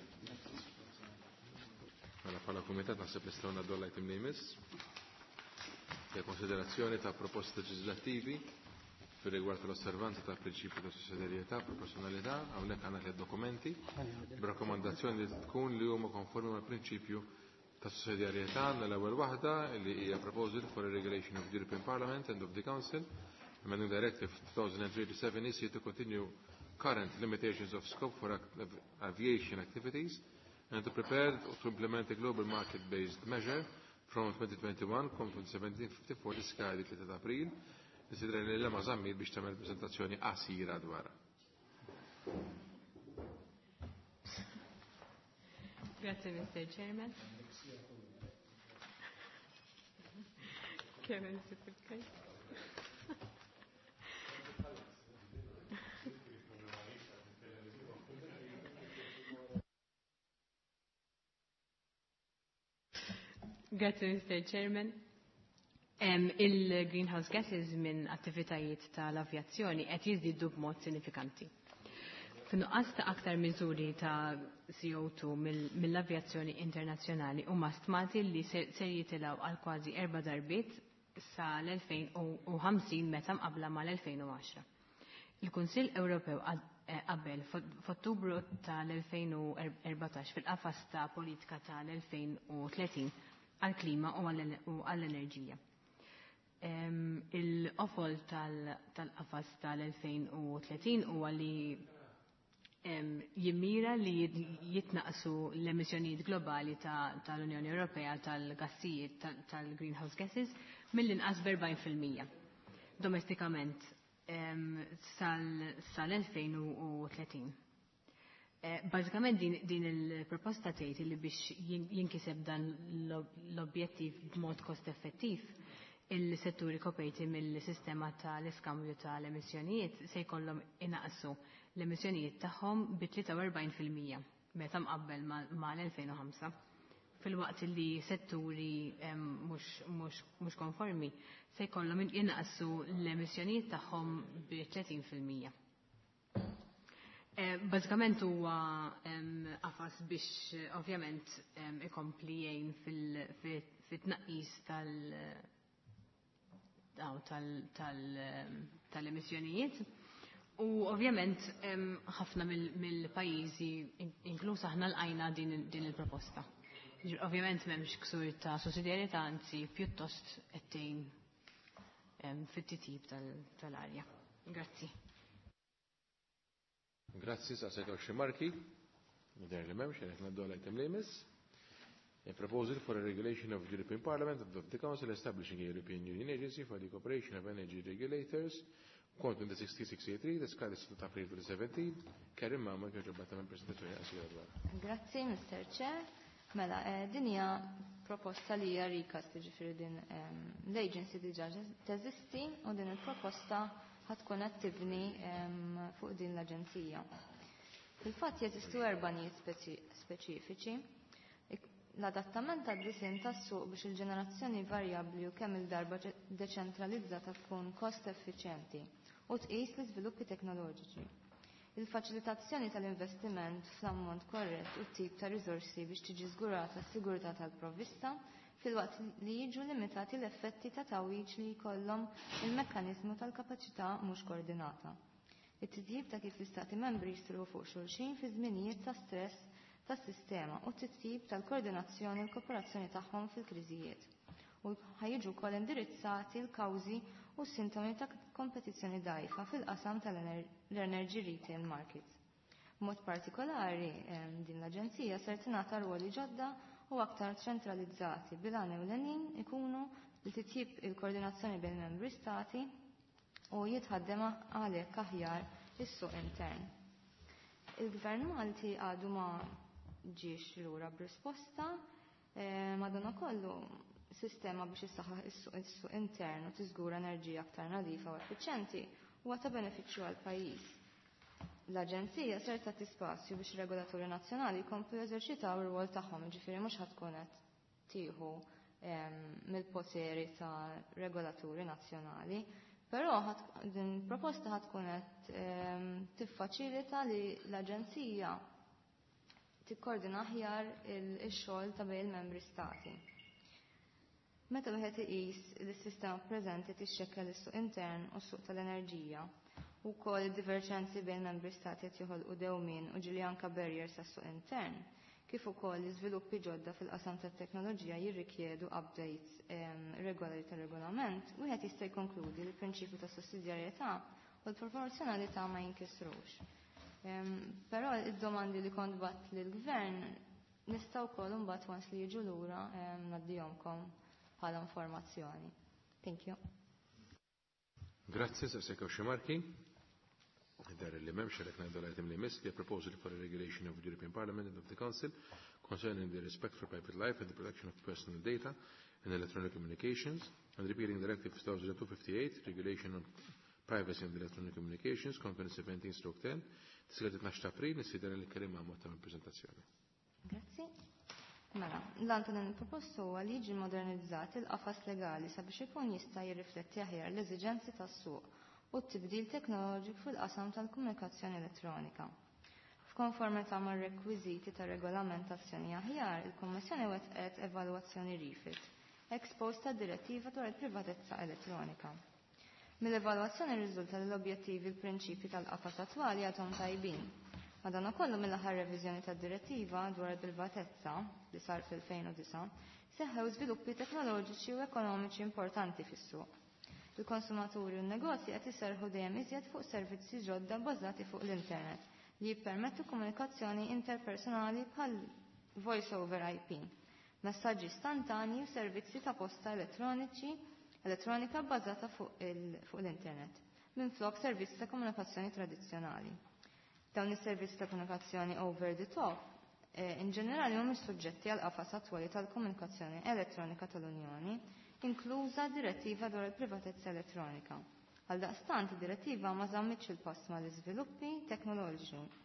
Mela bħala kumitat naħseb nistgħu ngħaddu l-item li jmiss. Hija konsiderazzjoni ta' proposti leġislattivi fir-rigward tal-osservanza ta' prinċipju ta' sussidjarjetà, proporzjonalità, hawnhekk għandna tliet dokumenti b'rakkomandazzjoni li tkun li huma konformi mal-prinċipju ta' sussidjarjetà. Għandna l-ewwel waħda li hija Proposal for a Regulation of the European Parliament and of the Council amending Directive two thousand three seven E C to continue current limitations of scope for aviation activities and to prepare to implement a global market-based measure from twenty twenty-one, COM twenty seventeen fifty-four, tiskadi tlieta ta' April. Nistieden lil Emma Zammit biex tagħmel prezentazzjoni qasira dwarha. Grazie, Mister Chairman. Kemm insib il. Grazie, Mister Chairman. Um, Il-greenhouse gases minn attivitajiet tal-avjazzjoni qed jiżdiedu b'mod sinifikanti. F'nuqqas ta' aktar miżuri ta' C O two mill-avjazzjoni internazzjonali huma stmati li ser jitilgħu għal kważi erba' darbiet sa l-elfejn u ħamsin meta mqabbla mal-elfejn u għaxra. Il-Kunsill Ewropew eh, qabel f'Ottubru tal-elfejn u erbatax fil-qafas ta' politika tal-elfejn u tletin għal-klima u għall-enerġija. Il-qofol tal-qafas tal-elfejn u tletin huwa li jimmira li jitnaqsu l-emissjonijiet globali tal-Unjoni Ewropea tal-gassijiet tal-greenhouse gases mill-inqas b'erbgħin fil-mija domestikament sal-elfejn u tletin. Eh, bażikament din, din il-proposta tgħid li biex jinkiseb dan l-objettiv b'mod kost effettiv, il-setturi koperti mill-sistema tal-iskambju tal-emissjonijiet se jkollhom inaqsu l-emissjonijiet tagħhom bi tlieta u erbgħin fil-mija meta mqabbel mal-elfejn u ħamsa, filwaqt li setturi mhux konformi se jkollhom jinaqsu l-emissjonijiet tagħhom bi tletin fil-mija. Eh, bażikament huwa qafas biex ovvjament ikompli jgħin fil-tnaqqis tal-emissjonijiet. U ovvjament ħafna mill-pajjiżi, inkluż aħna, lqajna din il-proposta. Ovvjament m'hemmx ksur ta' sussidjarjetà, anzi pjuttost qed tgħin fit-titjib tal-arja. Grazzi. Grazzi, sa' sejtaw xi marki. Nidher li m'hemmx, qed ngħaddu għal item li jmiss. A proposal for a regulation of the European Parliament and of the Council establishing a European Union Agency for the Cooperation of Energy Regulators, COM twenty sixteen sixty-three, tiskadi sitta ta' April twenty seventeen. Karim Mama, kieġobba tagħmel prezentazzjoni qasira dwar. Grazzi, Mister Chair. Mela, eh, din hija proposta li hija recast, jiġifieri din ehm, l-agency diġà teżisti u din il-proposta ħa tkun qed tibni ehm, fuq din l-aġenzija. Fil-fatt jeżistu erba' nijiet speċifiċi. L-adattament tad-disinn tas-suq biex il-ġenerazzjoni varjabbli u kemm il-darba deċentralizzata tkun kost effiċjenti u tqis l-iżviluppi teknoloġiċi. Il-faċilitazzjoni tal-investiment fl-ammont korrett u tip ta' riżorsi biex tiġi żgurata s-sigurtà tal-provvista filwaqt li jiġu limitati l-effetti ta' tagħwiġ li jkollhom il-mekkaniżmu tal-kapaċità mhux koordinata. It-titjib ta' kif l-Istati membri jistrieħu fuq xulxin fi żminijiet ta' stress tas-sistema u t-titjib tal-koordinazzjoni u l-kooperazzjoni tagħhom fil-kriżijiet. U ħa jiġu wkoll indirizzati l-kawżi u s-sintomi ta' kompetizzjoni dgħajfa fil-qasam tal-energy retail markets. B'mod partikolari, din l-Aġenzija ser tingħata rwoli ġodda u aktar ċentralizzati bil-għan ewlenin ikunu li titjib il-koordinazzjoni bejn membri stati u jitħaddem għalhekk aħjar is-suq intern. Il-Gvern Malti għadu ma ġiex lura b'risposta, eh, madanakollu sistema biex issaħħaħ is-suq intern u tiżgura enerġija aktar nadifa u effiċjenti huwa ta' benefiċċju għal pajjiż. L-Aġenzija ser tagħti spazju biex regolaturi nazzjonali jkomplu jeżerċitaw ir-rwol tagħhom, jiġifieri mhux ħa tkun qed tieħu mill-poteri ta' regolaturi nazzjonali, però din proposta ħa tkun qed tiffaċilita li l-Aġenzija tikkoordina aħjar il-xogħol ta' bejn il-membri stati. Meta wieħed iqis li s-sistema preżenti tixxekkel is-suq intern u s-suq tal-enerġija u wkoll id-diverġenzi bejn membri stati qed joħolqu dewmien u ġieli anke barriers għas-suq intern, kif ukoll l-iżviluppi ġodda fil-qasam tat-teknoloġija jirrikjedu updates regolari tar-regolament, wieħed jista' jikkonkludi li l-prinċipju ta' sussidjarjetà u l-proporzjonalità ma jinkisrux. Però id-domandi li kont bgħatt lill-gvern nista' wkoll imbagħad once li jiġu lura ngħaddihomkom bħala informazzjoni. Thank you. Grazzi, saqsek xi marki. Dar li m'hemmx għalhekk ngħidu l-item li jmiss li proposal for a regulation of the European Parliament and of the Council concerning the respect for private life and the protection of personal data in electronic communications and repealing Directive two thousand two fifty-eight, Regulation on Privacy and Electronic Communications, Conference seventeen stroke ten, tiskadi tnax ta' April, nistieden il-kelliema għal ta' prezentazzjoni. Grazzi. Mela, l-għan ta' dan il-proposta huwa li jiġi modernizzat il-qafas legali sabiex ikun jista' jirrifletti aħjar l-eżiġenzi tas-suq u t-tibdil teknoloġiku fil-qasam tal-komunikazzjoni elettronika. F'konformità mar-rekwiżiti ta' regolamentazzjoni aħjar, il-Kummissjoni wettqet evalwazzjoni refit ex post tad-direttiva dwar il-privatezza elettronika. Mill-evalwazzjoni riżulta li l-objettivi l-prinċipji tal-qafas attwali għadhom tajbin. Madankollu, mill-aħħar reviżjoni tad-direttiva dwar il-privatezza li sar fil-elfejn u disgħa, seħħew żviluppi teknoloġiċi u ekonomiċi importanti fis-suq. Il-konsumaturi u n-negozji qed iserħu dejjem iżjed fuq servizzi ġodda bbażati fuq l-internet li jippermettu komunikazzjoni interpersonali bħal voice over I P, messaġġi istantanji u servizzi ta' posta elettroniċi elettronika bbażata fuq l-internet, minflok servizzi ta' komunikazzjoni tradizzjonali. Dawn is-servizzi ta' komunikazzjoni over the top eh, in ġenerali mhumiex suġġetti għal qafas attwali tal-komunikazzjoni elettronika tal-Unjoni, inkluża direttiva dwar il-privatezza elettronika. Għaldaqstant, id-direttiva ma żammitx il-pass mal-iżviluppi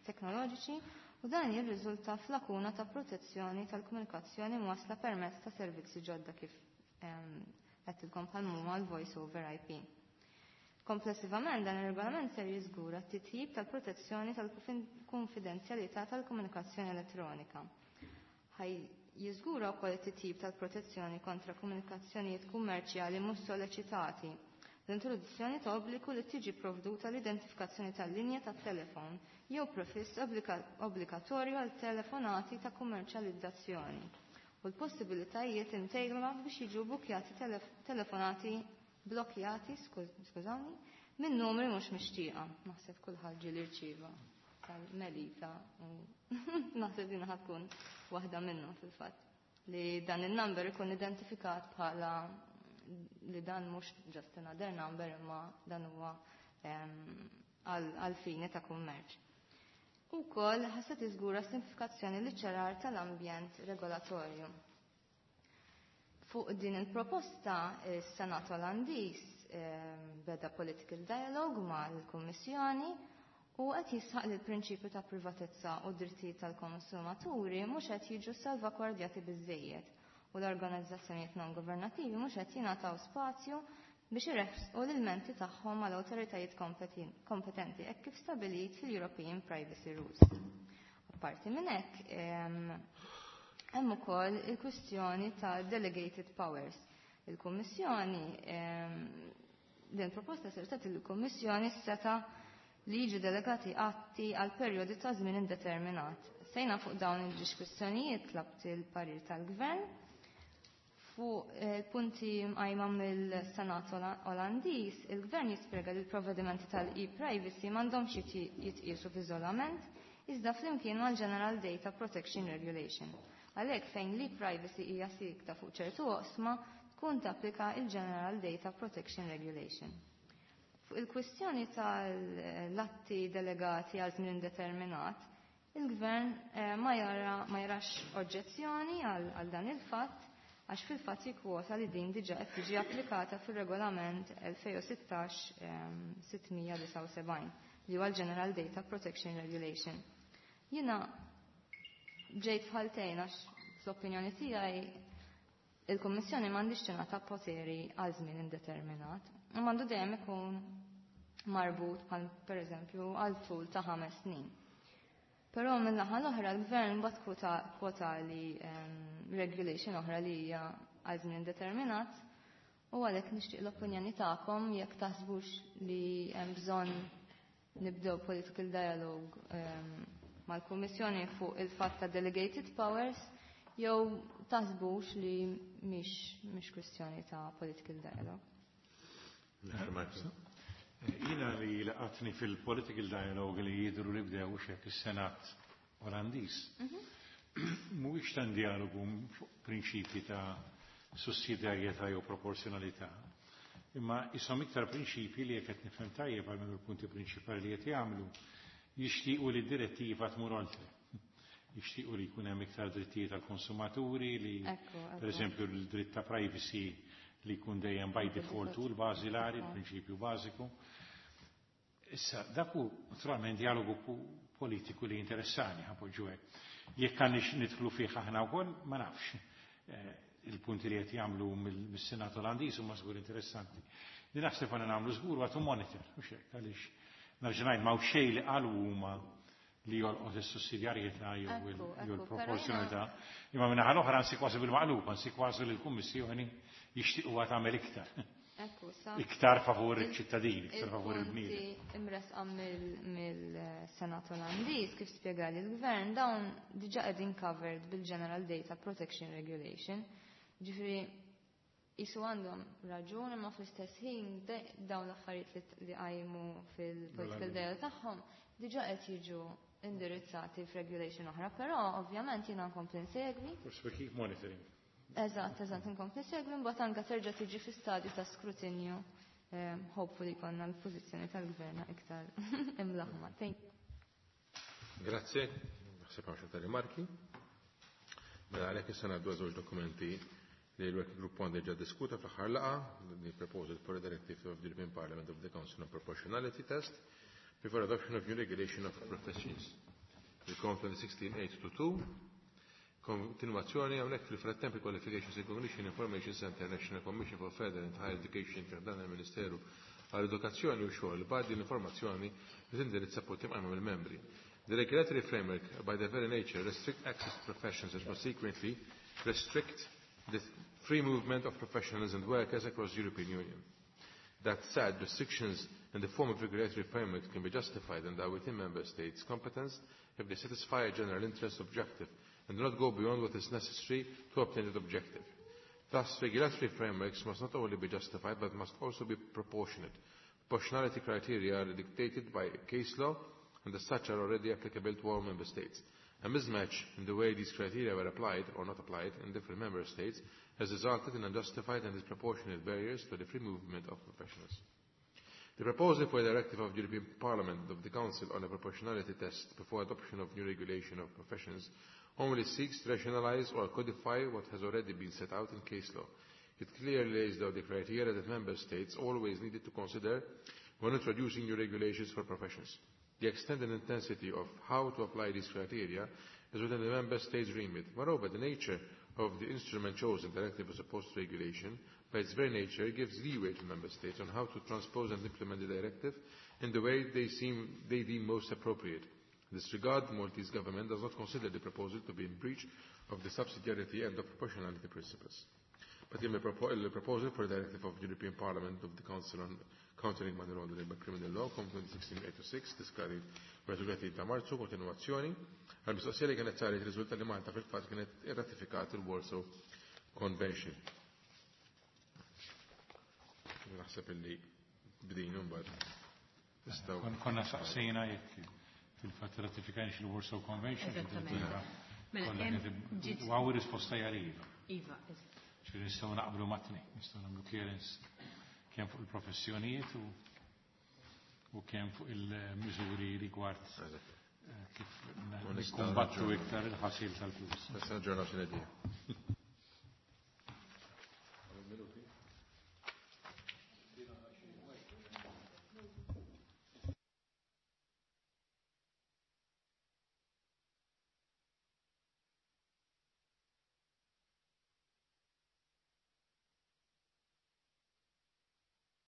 teknoloġiċi u dan jirriżulta f'lakuna ta' protezzjoni tal-komunikazzjoni mwasla permezz ta' servizzi ġodda kif għedtilkom bħal huma l-voice over I P. Komplessivament, dan ir-regolament ser jiżgura t-titjib tal-protezzjoni tal-konfidenzjalità tal-komunikazzjoni elettronika. Ħaj jiżgura wkoll it-titjib tal-protezzjoni kontra komunikazzjonijiet kummerċjali mhux soleċitati, l-introduzzjoni ta' obbligu li tiġi provduta l-identifikazzjoni tal-linja tat-telefon jew prefiss obbligatorju għal telefonati ta' kummerċjalizzazzjoni u l-possibilitajiet imtejba biex jiġu bukjati telefonati blokjati, skużawni, minn numri mhux mixtieqa. Naħseb kulħadd ġieli rċieva tal-Melita u naħseb din tkun waħda minnhom fil-fatt li dan il-number ikun identifikat bħala li dan mhux just another number imma dan huwa għal fini ta' kummerċ. Ukoll ħassa tiżgura simplifikazzjoni li ċarar tal-ambjent regolatorju. Fuq din il-proposta, is-Senat Olandiż beda political dialogue mal-Kummissjoni u qed jisħaq li l-prinċipju ta' privatezza u drittijiet tal-konsumaturi mhux qed jiġu salvagwardjati biżejjed u l-organizzazzjonijiet non governattivi mhux qed jingħataw spazju biex iressqu l-ilmenti tagħhom mal awtoritajiet kompetenti hekk kif stabilit fil-European Privacy Rules. Apparti minn hekk, hemm ukoll il-kwistjoni ta' delegated powers. Il-Kummissjoni, din proposta ser tagħti il-Kummissjoni seta' li jiġu delegati atti għal perjodi ta' żmien indeterminat. Sejna fuq dawn il-ġiex kwistjonijiet tlabt il-parir tal-Gvern. Fuq il-punti mqajma mill-Senat Olandiż, il-Gvern jispjega li l-provvedimenti tal-e-privacy m'għandhomx jitqiesu f'iżolament, iżda flimkien mal-General Data Protection Regulation. Għalhekk, fejn l-e-privacy hija sikta fuq ċertu oqsma, tkun tapplika il-General Data Protection Regulation. Fuq il-kwistjoni tal-atti delegati għal żmien indeterminat, il-Gvern eh, ma jara ma jarax oġġezzjoni għal dan il-fatt għax fil-fatt jikkwota li din diġa qed tiġi applikata fil-regolament elfejn u sittax sitt mija disgħa u sebgħin li huwa l-General Data Protection Regulation. Jiena ġejt f'ħaltejn għax fl-opinjoni tiegħi il-Kummissjoni m'għandix tingħata poteri għal żmien indeterminat. U m'għandu dejjem ikun marbut bħal pereżempju għal tul ta' ħames snin. Però minn naħa l-oħra l-gvern bat kwota, kwota li um, regulation oħra li hija għal żmien determinat u għalhekk nixtieq l-opinjoni tagħkom jekk taħsbux li hemm bżonn nibdew political dialogue um, mal-Kummissjoni fuq il-fatt ta' delegated powers jew taħsbux li mhix mhix kwistjoni ta' political dialogue. Jiena li laqatni fil-political dialogue li jidru li bdew xek is-Senat Olandiż. Mhuwiex tan dialogu fuq prinċipji ta' sussidjarjetà jew proporzjonalità. Imma isom iktar prinċipji li jekk qed nifhem tajjeb għal il-punti prinċipali li qed jagħmlu jixtiequ li d-direttiva tmur oltre. Jixtiequ li jkun hemm iktar drittijiet tal-konsumaturi, li per eżempju l-dritt ta' privacy li jkun dejjem by default u l-bażilari, il-prinċipju bażiku. Issa, dak hu naturalment dialogu politiku li interessani ħapoġġu hekk. Jekk għandix nidħlu fih aħna wkoll, ma nafx. Il-punti li qed jagħmlu mis-Senat Olandiż huma żgur interessanti. Li naħseb għandna nagħmlu żgur huwa to monitor, mhux hekk, għaliex nerġa' ngħid m'hawn xejn li qalu huma li jolqot is-sussidjarjetà jew il-proporzjonalità. Imma minn naħa l-oħra ansi kważi bil-maqlub, ansi kważi li l-Kummissjoni jixtiequha tagħmel iktar. Iktar favur iċ-ċittadini, iktar favur il-bniedem. Imresqa mill-Senat Olandiż kif spjegali l-Gvern dawn diġà qegħdin covered bil-General Data Protection Regulation. Ġifieri jisu għandhom raġun imma fl-istess ħin dawn l-affarijiet li qajmu fil-political dialogue tagħhom diġà qed jiġu indirizzati f'regulation oħra, però ovvjament jiena nkompli nsegwi. Forsi keep monitoring. Eżatt, eżatt, nkompli nsegwi, mbagħad anke terġa' tiġi fi stadju ta' skrutinju. Hopefully konna l-pożizzjoni tal-gvern iktar imlaħma. Thank you. Grazie, naħseb hawn xi rimarki. Mela għalhekk issa ngħaddu żewġ dokumenti li l-Working Group one diġà diskuta fl-aħħar laqgħa, the proposal for a directive of the European Parliament of the Council on Proportionality Test before adoption of new regulation of professions. Il-COM twenty sixteen eight two two, kontinuazzjoni hawnhekk fil-frattemp il-Qualifications Recognition Information Center National Commission for Further and Higher Education fi ħdan il-Ministeru għall-Edukazzjoni u xogħol bgħaddi l-informazzjoni li tindirizza punti mqajma mill-membri. The regulatory framework by their very nature restrict access to professions and consequently restrict the free movement of professionals and workers across the European Union. That said, restrictions in the form of regulatory frameworks can be justified and are within member states' competence if they satisfy a general interest objective and do not go beyond what is necessary to obtain that objective. Thus, regulatory frameworks must not only be justified but must also be proportionate. Proportionality criteria are dictated by case law and as such are already applicable to all member states. A mismatch in the way these criteria were applied or not applied in different member states has resulted in unjustified and disproportionate barriers to the free movement of professionals. The proposal for a directive of the European Parliament and of the Council on a proportionality test before adoption of new regulation of professions only seeks to rationalize or codify what has already been set out in case law. It clearly lays down the criteria that member states always needed to consider when introducing new regulations for professions. The extent and intensity of how to apply these criteria is within the member states' remit. Moreover, the nature of the instrument chosen, directive as opposed to regulation, by its very nature gives leeway to member states on how to transpose and implement the directive in the way they, seem, they deem most appropriate. In this regard, the Maltese government does not consider the proposal to be in breach of the subsidiarity and the proportionality principles. But in the proposal for the directive of the European Parliament of the Council on Countering Money Laundering by Criminal Law, COM twenty sixteen eight oh six, diskari tletin ta' Marzu, kontinuazzjoni, għal-mistoqsija li kienet saret riżulta li Malta fil-fatt kienet irratifikat il-Warsaw Convention. Naħseb illi bdejna mbagħad. Konna saqsejna jekk fil-fatt ratifikajniex il-Warsaw Convention. Eżattament. U għaw risposta hija iva. Iva, eżatt. Ġifieri nistgħu naqblu mat-tnejn, nistgħu nagħmlu clearance kemm fuq il-professjonijiet u, u kemm fuq il-miżuri rigward kif nikkumbattu iktar il-ħasil tal-flus. Nistgħu naġġornaw xi idea.